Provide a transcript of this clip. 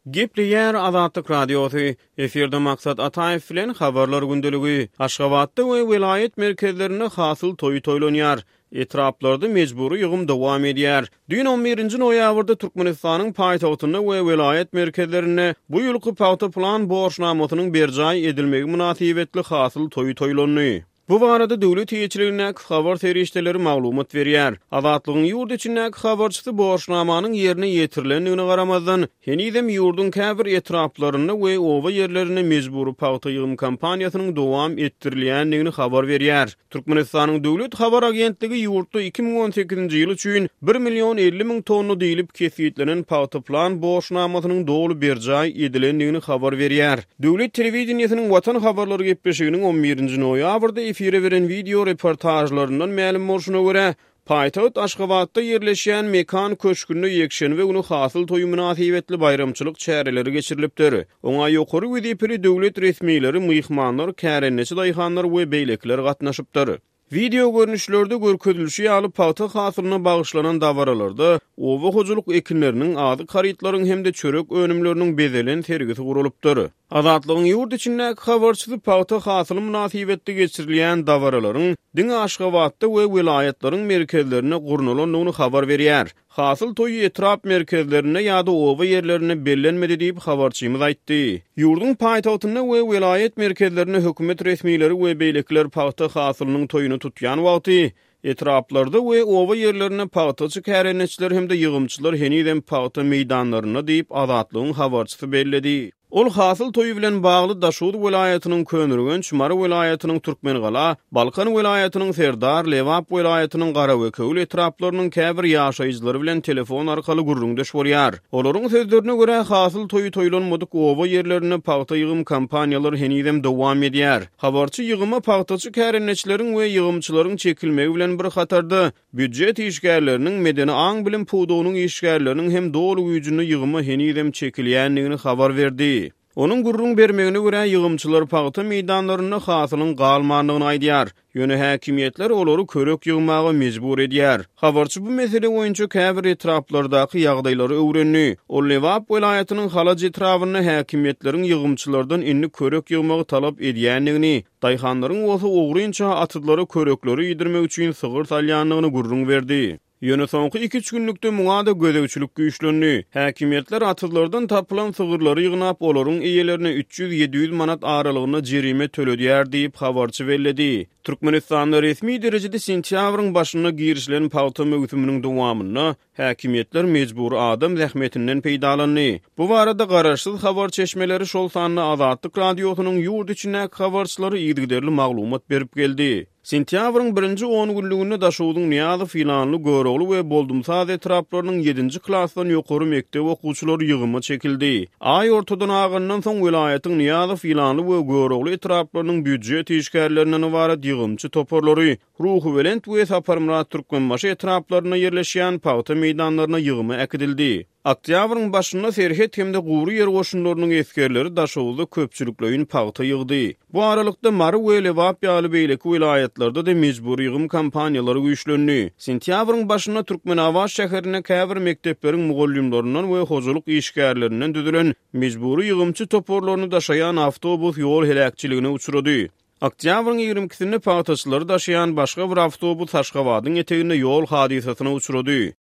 Gepleýär Azatlyk Radiosy, Efirde Maksat Ataýew bilen Habarlar gündeligi. Aşgabatda we welaýat merkezlerinde hasyl toýy toýlanýar. Etraplarda mejbury ýygym dowam edýär. Düýn on birinji noýabrda Türkmenistanyň paýtagtynda we welaýat merkezlerinde bu ýylky pagta plan borçnamasynyň berjaý edilmegi mynasybetli hasyl toýy toýlandy. Bu barada döwlet eýeçiligindäki habar serişdeleri maglumat berýär. Azatlygyň ýurt içindäki habarçysy borçnamanyň ýerine ýetirilendigine garamazdan, henizem ýurduň käbir etraplarynda we oba ýerlerinde mejbury pagta ýygym kampaniýasynyň dowam etdirilýändigini habar berýär. Türkmenistanyň döwlet habar agentligi ýurtda 2018-nji ýyl üçin bir million 50 müň tonna diýlip kesgitlenen pagta plan borçnamasynyň doly berjaý edilendigini habar berýär. Döwlet telewideniýesiniň Watan habarlary gepleşiginiň on birinji noýabrda efire beren wideo reportažlaryndan mälim bolşuna görä, paýtagt Aşgabatda ýerleşýän Mekan köşgünde ýekşenbe güni Hasyl toýy mynasybetli baýramçylyk çäreleri geçirilipdir. Oňa ýokary wezipeli döwlet resmileri, myhmanlar, kärendeçi daýhanlar we beýlekiler gatnaşypdyr. Wideo görnüşlerde görkezilişi ýaly, pagta hasylyna bagyşlanan dabaralarda oba hojalyk ekinleriniň, azyk harytlaryň hem-de çörek önümleriniň bezelen sergisi guralypdyr. Azatlygyň ýurt içindäki habarçysy pagta hasyly mynasybetli geçirilýän dabaralaryň diňe Aşgabatda we welaýatlaryň merkezlerinde gurnalandygyny habar berýär. Hasyl toýy etrap merkezlerinde ýa-da oba ýerlerinde bellenmedi diýip, habarçymyz aýtdy. Ýurduň paýtagtynda we welaýat merkezlerinde hökümet resmileri we beýlekiler pagta hasylynyň toýuny tutýan wagty, etraplarda we oba ýerlerinde pagtaçy kärendeçiler hem-de ýygymçylar henizem pagta meýdanlarynda diýip, Azatlygyň habarçysy belledi. Ol hasyl toýy bilen bagly Daşoguz welaýatynyň Köneürgenç, Mary welaýatynyň Türkmengala, Balkan welaýatynyň Serdar, Lebap welaýatynyň Garabekewül etraplarynyň käbir ýaşaýjylary bilen telefon arkaly gürrüňdeş bolýar. Olaryň sözlerine görä, hasyl toýy toýlanmadyk oba ýerlerinde pagta ýygym kampaniýalary henizem dowam edýär. Habarçy ýygyma pagtaçy kärendeçileriň we ýygymçylaryň çekilmegi bilen bir hatarda, Býujet işgärleriniň, medeni aň-bilim pudagynyň işgärleriniň hem doly güýjünde ýygyma henizem çekilýändigini habar berdi. Onuň gürrüň bermegine görä, ýygymçylar pagta meýdanlarynda hasylyň galmandygyny aýdýar. Ýöne häkimiýetler olary körek ýygmaga mejbur edýär. Habarçy bu mesele boýunça käbir etraplardaky ýagdaýlary öwrendi. Ol Lebap welaýatynyň Halaç etrabynda häkimiýetleriň ýygymçylardan indi körek ýygmagy talap edýändigini, Daýhanlaryň bolsa ogrynça atyzlara körekleri iýdirmek üçin sygyr salýandygyny gürrüň berdi. Ýöne soňky iki-üç günlükde muňa-da gözegçilik güýçlendi. Häkimiýetler atyzlardan tapylan sygyrlary ýygnap, olaryň eýelerine 300-700 manat aralygynda jerime töledýär diýip, habarçy belledi. Türkmenistanda resmi derejede sentýabryň başynda girişilen pagta möwsüminiň dowamynda Häkimiýetler mejbury adam zähmetinden peýdalandy. Bu barada garaşsyz habar çeşmeleri, şol sanda Azatlyk Radiosynyň ýurt içindäki habarçylary yzygiderli maglumat berip geldi. Sentýabryň birinji on günlüginde Daşogzuň Nyýazow, Ýylanly, Görogly we Boldumsaz etraplarynyň ýedinji klasdan ýokary mekdep okuwçylary ýygyma çekildi. Aý ortadan agandan soň welaýatyň Nyýazow, Ýylanly we Görogly etraplarynyň býujet işgärlerinden ybarat ýygymçy toparlary Ruhubelent we Saparmyrat Türkmenbaşy etraplarynda ýerleşýän pagta meýdanlaryna ýygyma äkidildi. Oktýabryň başynda serhet hem-de gury ýer goşunlarynyň esgerleri Daşoguzda köpçülikleýin pagta ýygdy. Bu aralykda, Mary we Lebap ýaly beýleki welaýatlarda-da mejbury ýygym kampaniýalary güýçlendi. Sentýabryň başynda Türkmenabat şäherinde käbir mekdepleriň mugallymlaryndan we hojalyk işgärlerinden düzülen mejbury ýygymçy toparlaryny daşaýan awtobus ýol heläkçiligine uçrady. Oktýabryň ýigrimi ikisinde pagtaçylary daşaýan başga bir awtobus Aşgabadyň eteginde ýol hadysasyna uçrady.